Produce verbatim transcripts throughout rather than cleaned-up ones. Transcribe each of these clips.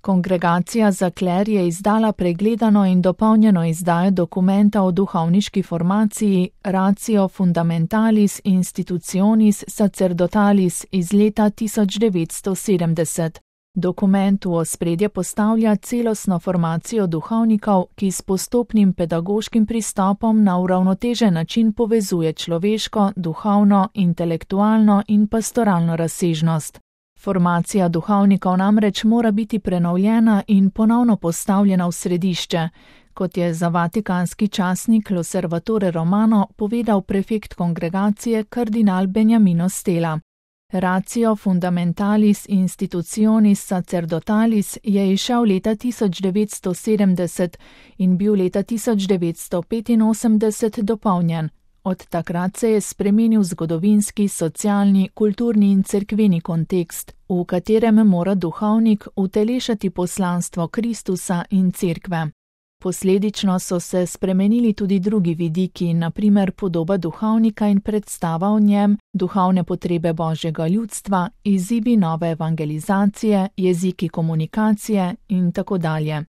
Kongregacija za kler je izdala pregledano in dopolnjeno izdajo dokumenta o duhovniški formaciji Ratio Fundamentalis Institutionis Sacerdotalis iz leta tisoč devetsto sedemdeset. Dokument v ospredje postavlja celostno formacijo duhovnikov, ki s postopnim pedagoškim pristopom na uravnotežen način povezuje človeško, duhovno, intelektualno in pastoralno razsežnost. Formacija duhovnikov namreč mora biti prenovljena in ponovno postavljena v središče, kot je za vatikanski časnik L'Osservatore Romano povedal prefekt kongregacije kardinal Beniamino Stella. Ratio Fundamentalis Institutionis Sacerdotalis je izšel leta tisoč devetsto sedemdeset in bil leta tisoč devetsto petinosemdeset dopolnjen. Od takrat se je spremenil zgodovinski, socialni, kulturni in cerkveni kontekst, v katerem mora duhovnik utelešati poslanstvo Kristusa in cerkve. Posledično so se spremenili tudi drugi vidiki, na primer podoba duhovnika in predstava o njem, duhovne potrebe božjega ljudstva, izzivi nove evangelizacije, jeziki komunikacije in tako dalje.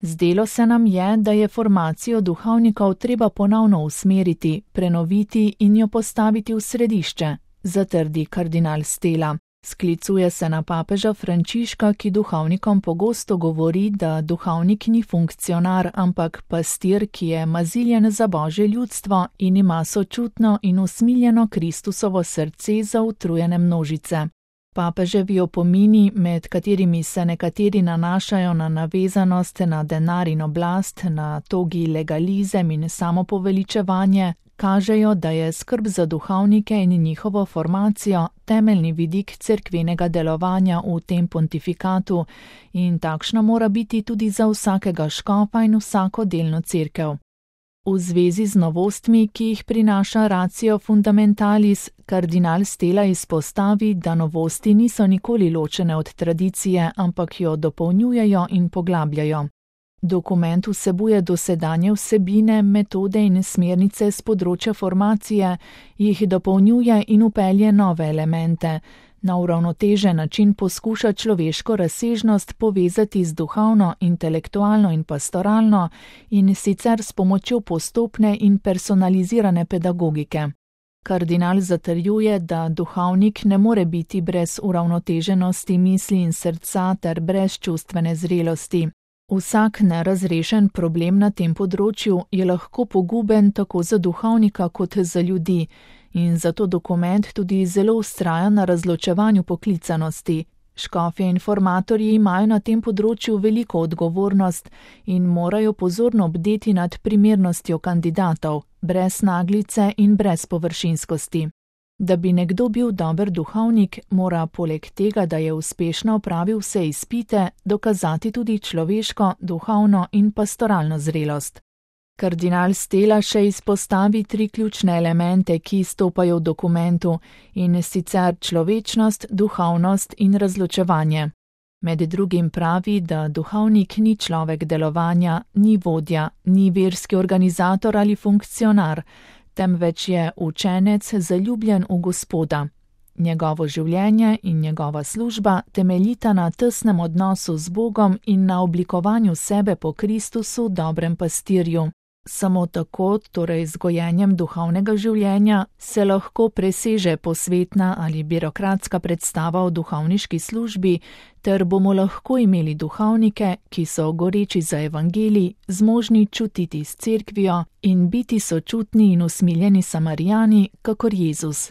Zdelo se nam je, da je formacijo duhovnikov treba ponovno usmeriti, prenoviti in jo postaviti v središče, zatrdi kardinal Stella. Sklicuje se na papeža Frančiška, ki duhovnikom pogosto govori, da duhovnik ni funkcionar, ampak pastir, ki je maziljen za božje ljudstvo in ima sočutno in usmiljeno Kristusovo srce za utrujene množice. Papeževi opomini, med katerimi se nekateri nanašajo na navezanost na denar in oblast, na togi legalizem in samopoveličevanje, kažejo, da je skrb za duhovnike in njihovo formacijo temeljni vidik cerkvenega delovanja v tem pontifikatu in takšna mora biti tudi za vsakega škofa in vsako delno cerkev. V zvezi z novostmi, ki jih prinaša Ratio Fundamentalis, kardinal Stella izpostavi, da novosti niso nikoli ločene od tradicije, ampak jo dopolnjujejo in poglabljajo. Dokument vsebuje dosedanje vsebine, metode in smernice z področja formacije, jih dopolnjuje in vpelje nove elemente. Na uravnotežen način poskuša človeško razsežnost povezati z duhovno, intelektualno in pastoralno in sicer s pomočjo postopne in personalizirane pedagogike. Kardinal zatrjuje, da duhovnik ne more biti brez uravnoteženosti misli in srca ter brez čustvene zrelosti. Vsak nerazrešen problem na tem področju je lahko poguben tako za duhovnika kot za ljudi in zato dokument tudi zelo vztraja na razločevanju poklicanosti. Škofje in formatorji imajo na tem področju veliko odgovornost in morajo pozorno bdeti nad primernostjo kandidatov, brez naglice in brez površinskosti. Da bi nekdo bil dober duhovnik, mora poleg tega, da je uspešno opravil vse izpite, dokazati tudi človeško, duhovno in pastoralno zrelost. Kardinal Stella še izpostavi tri ključne elemente, ki izstopajo v dokumentu, in sicer človečnost, duhovnost in razločevanje. Med drugim pravi, da duhovnik ni človek delovanja, ni vodja, ni verski organizator ali funkcionar, temveč je učenec zaljubljen v Gospoda. Njegovo življenje in njegova služba temeljita na tesnem odnosu z Bogom in na oblikovanju sebe po Kristusu, dobrem pastirju. Samo tako, torej z gojenjem duhovnega življenja, se lahko preseže posvetna ali birokratska predstava o duhovniški službi, ter bomo lahko imeli duhovnike, ki so goreči za evangelij, zmožni čutiti s cerkvijo in biti sočutni in usmiljeni Samarijani, kakor Jezus.